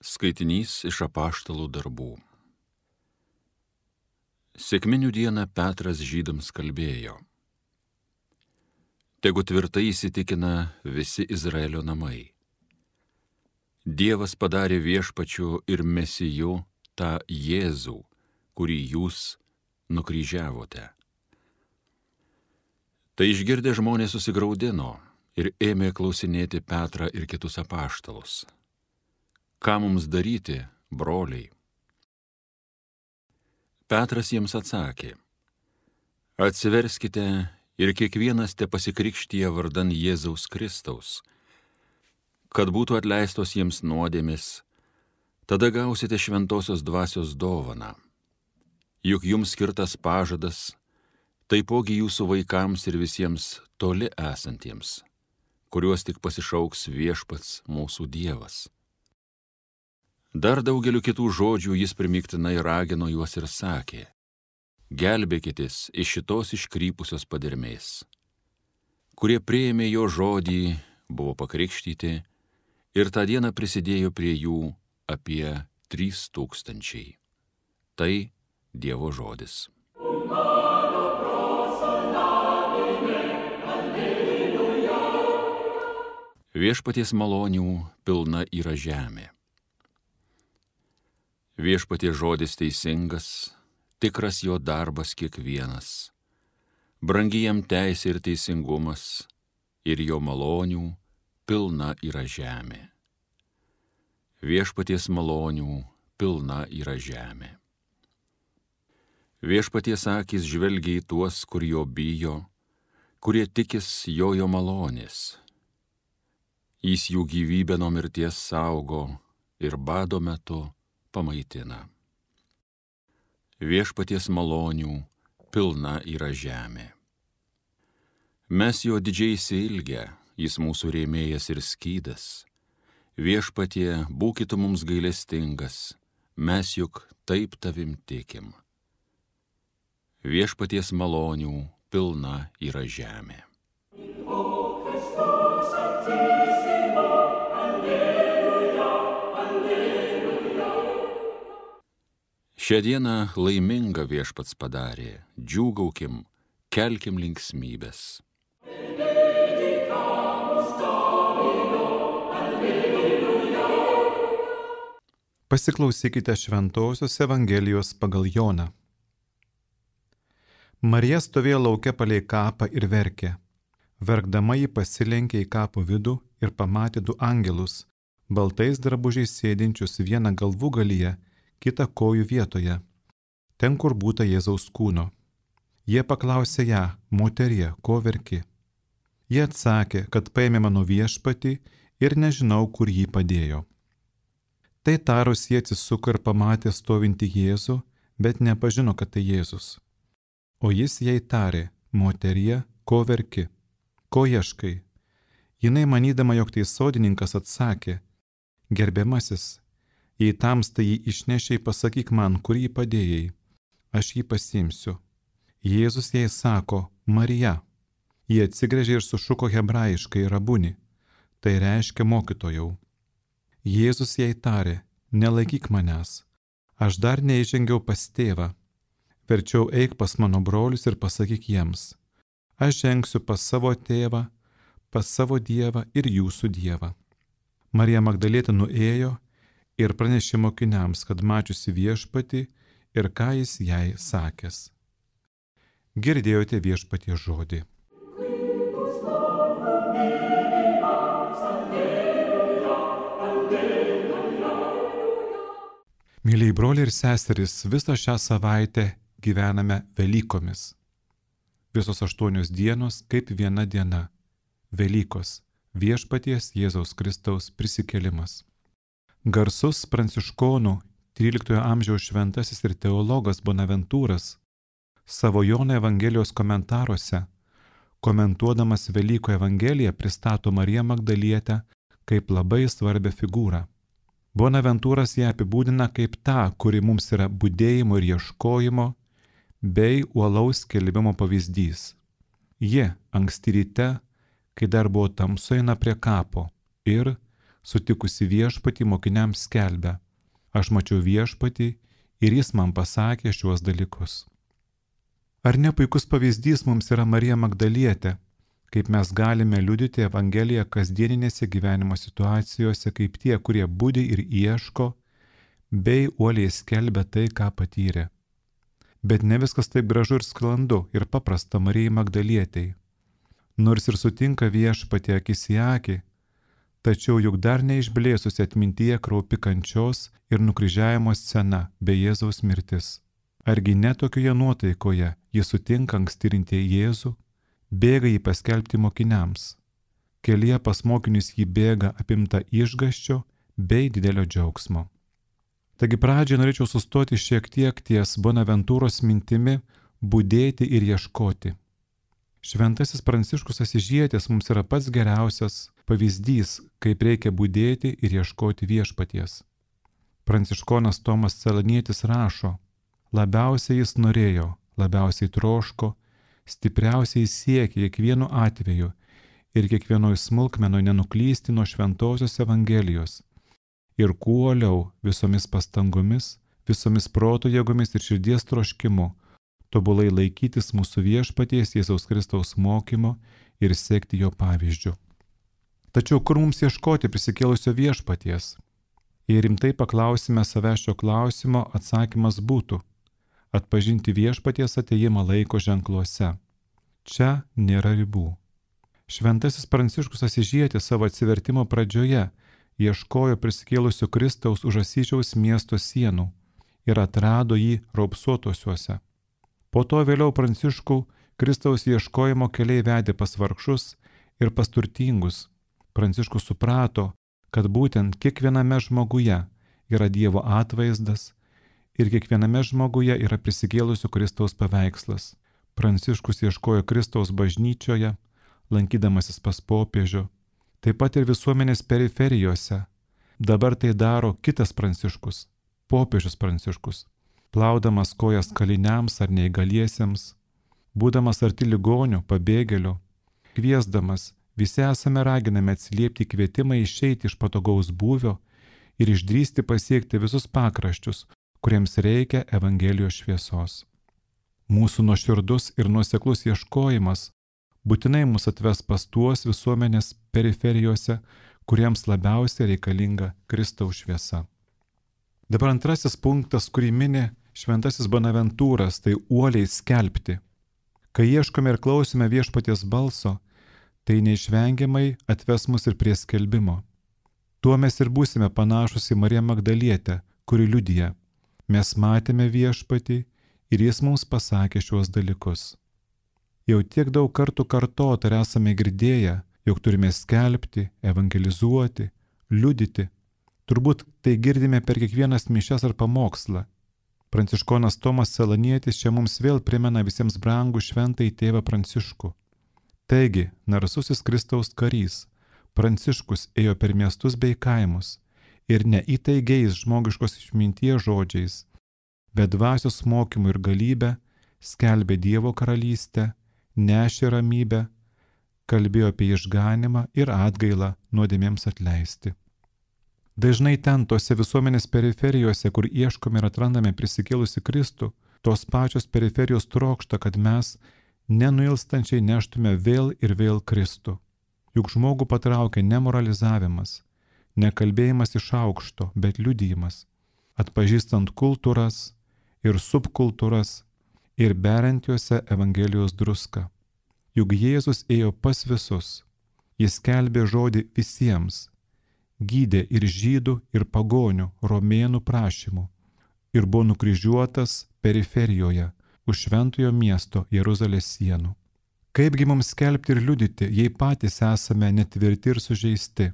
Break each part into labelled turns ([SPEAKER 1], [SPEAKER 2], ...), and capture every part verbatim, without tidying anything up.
[SPEAKER 1] Skaitinys iš apaštalų darbų. Sekminių dieną Petras žydams kalbėjo. Tegu tvirtai įsitikina visi Izraelio namai. Dievas padarė viešpačiu ir mesiju tą Jėzų, kurį jūs nukryžiavote. Tai išgirdę žmonės susigraudino ir ėmė klausinėti Petrą ir kitus apaštalus. Ką mums daryti, broliai? Petras jiems atsakė, atsiverskite ir kiekvienas te pasikrikštija vardan Jėzaus Kristaus, kad būtų atleistos jiems nuodėmės, tada gausite šventosios dvasios dovaną. Juk jums skirtas pažadas, taipogi jūsų vaikams ir visiems toli esantiems, kuriuos tik pasišauks viešpats mūsų Dievas. Dar daugeliu kitų žodžių jis primygtinai ragino juos ir sakė, gelbėkitės iš šitos iškrypusios padermės. Kurie priėmė jo žodį, buvo pakrikštyti ir tą dieną prisidėjo prie jų apie trys tūkstančiai. Tai Dievo žodis. Viešpaties malonių pilna yra žemė. Viešpaties žodis teisingas, tikras jo darbas kiekvienas. Brangi jam teisė ir teisingumas, ir jo malonių pilna yra žemė. Viešpaties malonių pilna yra žemė. Viešpaties akys žvelgia į tuos, kur jo bijo, kurie tikis jo jo malonės. Jis jų gyvybę nuo mirties saugo ir bado metu pamaitina. Viešpaties malonių pilna yra žemė. Mes jo didžiai išsiilgę, jis mūsų rėmėjas ir skydas. Viešpatie, būkit mums gailestingas, mes juk taip tavim tikim. Viešpaties malonių pilna yra žemė. Šią dieną laimingą viešpats padarė, džiūgaukim, kelkim linksmybės.
[SPEAKER 2] Pasiklausykite Šventosios Evangelijos pagal Joną. Marija stovėjo lauke palei kapą ir verkė. Verkdama ji pasilenkė į kapo vidų ir pamatė du angelus, baltais drabužiais sėdinčius vieną galvų galyje, kitą kojų vietoje, ten, kur būta Jėzaus kūno. Jie paklausė ją, moterie, ko verki? Jie atsakė, kad paėmė mano viešpatį ir nežinau, kur jį padėjo. Tai tarus jie atsisuko ir pamatė stovintį Jėzų, bet nepažino, kad tai Jėzus. O jis jai tarė, moterie, ko verki? Ko ieškai? Jinai manydama, jog tai sodininkas atsakė, gerbiamasis, jei tamsta jį išnešiai, pasakyk man, kur jį padėjai, aš jį pasiimsiu. Jėzus jai sako, Marija. Jie atsigręžė ir sušuko hebrajiškai rabuni, tai reiškia mokytojau. Jėzus jai tarė, nelaikyk manęs, aš dar neįžengiau pas tėvą, verčiau eik pas mano brolius ir pasakyk jiems, aš žengsiu pas savo tėvą, pas savo Dievą ir jūsų Dievą. Marija Magdalietė nuėjo ir pranešė mokiniams, kad mačiusi viešpatį ir ką jis jai sakęs. Girdėjote viešpaties žodį. Mėlyjei broliai ir seserys, visą šią savaitę gyvename Velykomis. Visos aštuonios dienos kaip viena diena. Velykos, viešpaties Jėzaus Kristaus prisikėlimas. Garsus pranciškonų tryliktojo amžiaus šventasis ir teologas Bonaventūras savo Jono Evangelijos komentaruose, komentuodamas Velykų Evangeliją, pristato Mariją Magdalietę kaip labai svarbią figūrą. Bonaventūras ją apibūdina kaip tą, kuri mums yra budėjimo ir ieškojimo bei uolaus skelbimo pavyzdys. Ji anksti ryte, kai dar buvo tamsu, eina prie kapo ir, sutikusi viešpatį mokiniams skelbia: aš mačiau viešpatį ir jis man pasakė šiuos dalykus. Ar ne puikus pavyzdys mums yra Marija Magdalietė, kaip mes galime liudyti Evangeliją kasdieninėse gyvenimo situacijose, kaip tie, kurie budi ir ieško, bei uoliai skelbia tai, ką patyrė. Bet ne viskas taip gražu ir sklandu ir paprasta Marijai Magdalietei. Nors ir sutinka viešpatį akis į akį, tačiau juk dar neišblėsusi atmintyje kraupi kančios ir nukryžiavimo scena bei Jėzaus mirtis. Argi ne tokioje nuotaikoje jis sutinka ankstyrinti Jėzų, bėga jį paskelbti mokiniams. Kelyje pas mokinius jį bėga apimta išgąsčio bei didelio džiaugsmo. Taigi pradžiai norėčiau sustoti šiek tiek ties Bonaventūros mintimi budėti ir ieškoti. Šventasis Pranciškus Asyžietis mums yra pats geriausias pavyzdys, kaip reikia budėti ir ieškoti viešpaties. Pranciškonas Tomas Celanietis rašo: labiausiai jis norėjo, labiausiai troško, stipriausiai siekė kiekvienu atveju ir kiekvienoj smulkmenoj nenuklysti nuo šventosios Evangelijos ir kuo uoliau visomis pastangomis, visomis proto jėgomis ir širdies troškimu tobulai laikytis mūsų viešpaties Jėzaus Kristaus mokymo ir sekti jo pavyzdžiu. Tačiau kur mums ieškoti prisikėlusio viešpaties? Jei rimtai paklausime savęs šio klausimo, atsakymas būtų: atpažinti viešpaties atėjimą laiko ženkluose. Čia nėra ribų. Šventasis Pranciškus Asyžietis savo atsivertimo pradžioje ieškojo prisikėlusio Kristaus už Asyžiaus miesto sienų ir atrado jį raupsuotosiuose. Po to vėliau Pranciškų Kristaus ieškojimo keliai vedė pas vargšus ir pas turtingus. Pranciškus suprato, kad būtent kiekviename žmoguje yra Dievo atvaizdas ir kiekviename žmoguje yra prisikėlusio Kristaus paveikslas. Pranciškus ieškojo Kristaus bažnyčioje, lankydamasis pas popiežių, taip pat ir visuomenės periferijose. Dabar tai daro kitas Pranciškus, popiežius Pranciškus, plaudamas kojas kaliniams ar neįgaliesiems, būdamas arti ligonių, pabėgėlių, kviesdamas: visi esame raginami atsiliepti kvietimą išeiti iš patogaus būvio ir išdrįsti pasiekti visus pakraščius, kuriems reikia Evangelijos šviesos. Mūsų nuoširdus ir nuoseklus ieškojimas būtinai mus atves pas tuos visuomenės periferijose, kuriems labiausiai reikalinga Kristaus šviesa. Dabar antrasis punktas, kurį mini šventasis Bonaventūras, tai uoliai skelbti. Kai ieškome ir klausime viešpaties balso, tai neišvengiamai atves mus ir prie skelbimo. Tuo mes ir būsime panašus į Mariją Magdalietę, kuri liudija: mes matėme viešpatį ir jis mums pasakė šiuos dalykus. Jau tiek daug kartų kartota ir esame girdėję, jog turime skelbti, evangelizuoti, liudyti. Turbūt tai girdime per kiekvienas mišias ar pamokslą. Pranciškonas Tomas Celanietis čia mums vėl primena visiems brangų šventąjį tėvą Pranciškų. Taigi, narsusis Kristaus karys, Pranciškus ėjo per miestus bei kaimus ir ne įtaigiais žmogiškos išminties žodžiais, bet dvasios mokymų ir galybę skelbė Dievo karalystę, nešė ramybę, kalbėjo apie išganimą ir atgailą nuodėmėms atleisti. Dažnai ten, tose visuomenės periferijose, kur ieškome ir atrandame prisikėlusi Kristų, tos pačios periferijos trokšta, kad mes nenuilstančiai neštume vėl ir vėl Kristų. Juk žmogų patraukia ne moralizavimas, ne kalbėjimas iš aukšto, bet liudijimas, atpažįstant kultūras ir subkultūras ir beriant juose Evangelijos druską. Juk Jėzus ėjo pas visus, jis skelbė žodį visiems, gydė ir žydų, ir pagonių, romėnų prašymų, ir buvo nukryžiuotas periferijoje už šventojo miesto Jeruzalės sienų. Kaipgi mums skelbti ir liudyti, jei patys esame netvirti ir sužeisti?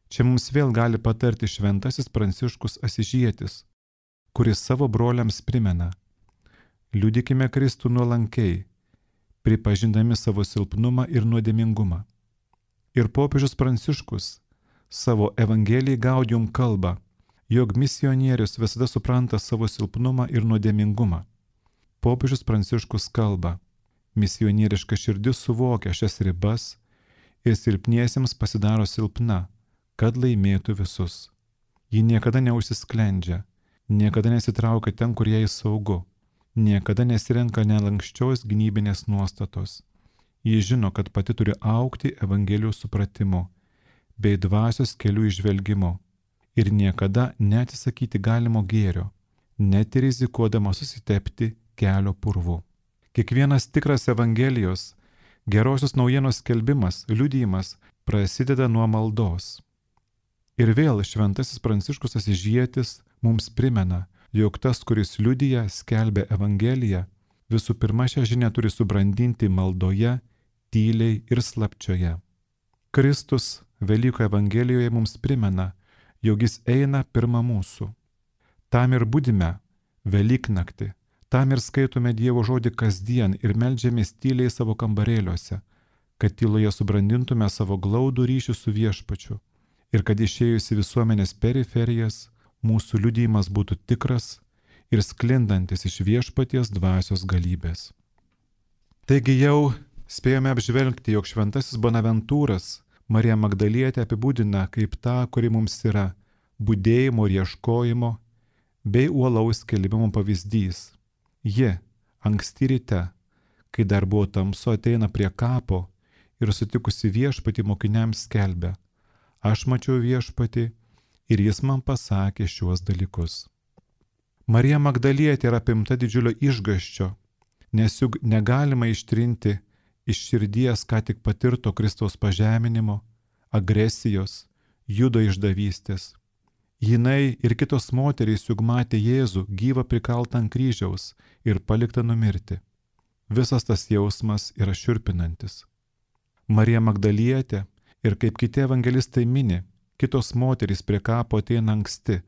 [SPEAKER 2] Čia mums vėl gali patarti šventasis Pranciškus Asyžietis, kuris savo broliams primena: liudykime Kristų nuolankiai, pripažindami savo silpnumą ir nuodėmingumą. Ir popiežius Pranciškus savo Evangelijai Gaudium kalba, jog misionierius visada supranta savo silpnumą ir nuodėmingumą. Popiežius Pranciškus kalba: misionieriška širdis suvokia šias ribas ir silpniesiems pasidaro silpna, kad laimėtų visus. Ji niekada neužsisklendžia, niekada nesitraukia ten, kur jai saugu, niekada nesirenka nelankščios gynybinės nuostatos. Ji žino, kad pati turi augti Evangelijos supratimu bei dvasios kelių išvelgimu ir niekada neatsisakyti galimo gėrio, net ir rizikuodama susitepti kelio purvu. Kiekvienas tikras Evangelijos, gerosios naujienos skelbimas, liudijimas prasideda nuo maldos. Ir vėl šventasis Pranciškus Asyžietis mums primena, jog tas, kuris liudija, skelbia Evangeliją, visų pirma šią žinią turi subrandinti maldoje, tyliai ir slapčioje. Kristus Velykų Evangelijoje mums primena, jog jis eina pirma mūsų. Tam ir budime Velyknaktį, tam ir skaitome Dievo žodį kasdien ir meldžiamės tyliai savo kambarėliuose, kad tyloje subrandintume savo glaudų ryšį su Viešpačiu ir kad išėjusi visuomenės periferijas mūsų liudijimas būtų tikras ir sklindantis iš Viešpaties dvasios galybės. Taigi jau spėjome apžvelgti, jog šventasis Bonaventūras Mariją Magdalietę apibūdina kaip tą, kuri mums yra budėjimo ir ieškojimo bei uolaus skelbimo pavyzdys. Ji anksti ryte, kai dar buvo tamsu, ateina prie kapo ir sutikusi Viešpatį mokiniams skelbia: aš mačiau Viešpatį ir jis man pasakė šiuos dalykus. Marija Magdalietė yra apimta didžiulio išgąsčio, nes juk negalima ištrinti iš širdies ką tik patirto Kristaus pažeminimo, agresijos, Judo išdavystės. Jinai ir kitos moterys juk matė Jėzų gyvą prikaltą ant kryžiaus ir paliktą numirti. Visas tas jausmas yra šiurpinantis. Marija Magdalietė ir kaip kiti evangelistai mini, kitos moterys prie kapo ateina anksti,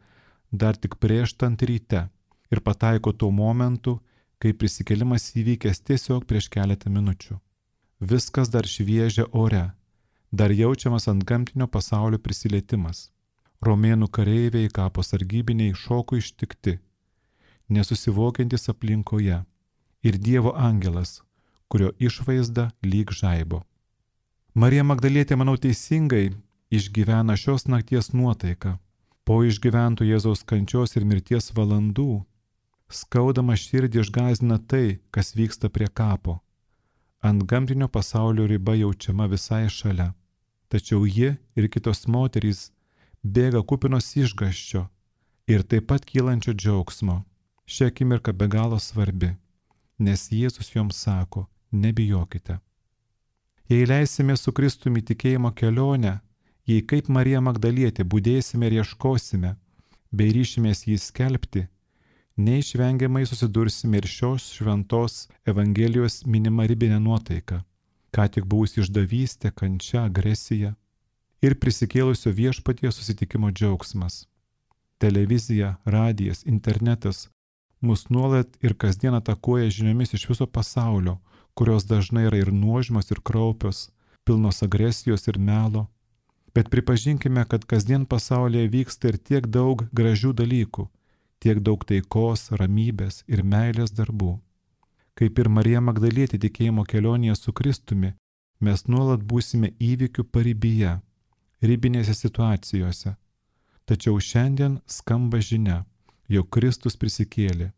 [SPEAKER 2] dar tik prieštant ryte ir pataiko tuo momentu, kai prisikėlimas įvykęs tiesiog prieš keletą minučių. Viskas dar šviežia ore, dar jaučiamas antgamtinio pasaulio prisilietimas. Romėnų kareiviai, kapo sargybiniai šoko ištikti, nesusivokiantis aplinkoje, ir Dievo angelas, kurio išvaizda lyg žaibo. Marija Magdalietė, manau, teisingai išgyvena šios nakties nuotaiką. Po išgyventų Jėzaus kančios ir mirties valandų, skaudama širdį išgąsdina tai, kas vyksta prie kapo. Antgamtinio pasaulio riba jaučiama visai šalia. Tačiau ji ir kitos moterys bėga kupinos išgąsčio ir taip pat kylančio džiaugsmo. Ši akimirka be galo svarbi, nes Jėzus joms sako: nebijokite. Jei leisime su Kristumi tikėjimo kelionę, jei kaip Marija Magdalietė budėsime ir ieškosime, bei ryšimės jį skelbti, neišvengiamai susidursime ir šios šventos Evangelijos minima ribinė nuotaika, ką tik buvusi išdavystė, kančia, agresija ir prisikėlusio Viešpaties susitikimo džiaugsmas. Televizija, radijas, internetas mus nuolat ir kasdien atakuoja žiniomis iš viso pasaulio, kurios dažnai yra ir nuožmios, ir kraupios, pilnos agresijos ir melo. Bet pripažinkime, kad kasdien pasaulyje vyksta ir tiek daug gražių dalykų, tiek daug taikos, ramybės ir meilės darbų. Kaip ir Marija Magdalietė tikėjimo kelionėje su Kristumi, mes nuolat būsime įvykių paribyje, ribinėse situacijose. Tačiau šiandien skamba žinia, jog Kristus prisikėlė.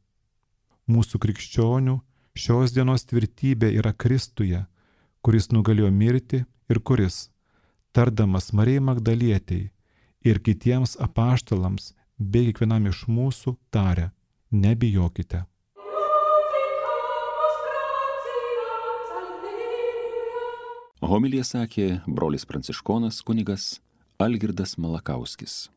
[SPEAKER 2] Mūsų krikščionių šios dienos tvirtybė yra Kristuje, kuris nugalėjo mirti ir kuris, tardamas Marijai Magdalietei ir kitiems apaštalams bei kiekvienam iš mūsų, taria: nebijokite.
[SPEAKER 1] Homiliją sakė brolis pranciškonas kunigas Algirdas Malakauskis.